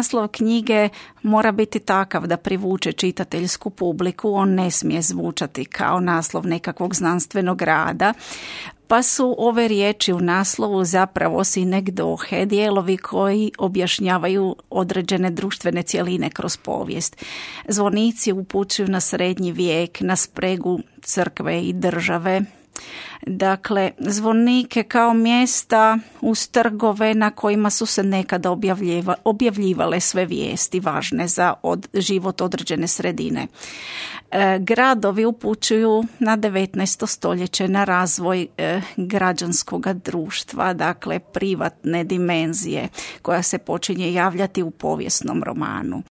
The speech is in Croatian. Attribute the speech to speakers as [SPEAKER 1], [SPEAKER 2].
[SPEAKER 1] naslov knjige mora biti takav da privuče čitateljsku publiku, on ne smije zvučati kao naslov nekakvog znanstvenog rada, pa su ove riječi u naslovu zapravo sinekdohe, dijelovi koji objašnjavaju određene društvene cjeline kroz povijest. Zvonici upućuju na srednji vijek, na spregu crkve i države. Dakle, zvonike kao mjesta uz trgove na kojima su se nekada objavljivale sve vijesti važne za život određene sredine. Gradovi upućuju na 19. stoljeće, na razvoj građanskog društva, dakle privatne dimenzije koja se počinje javljati u povijesnom romanu.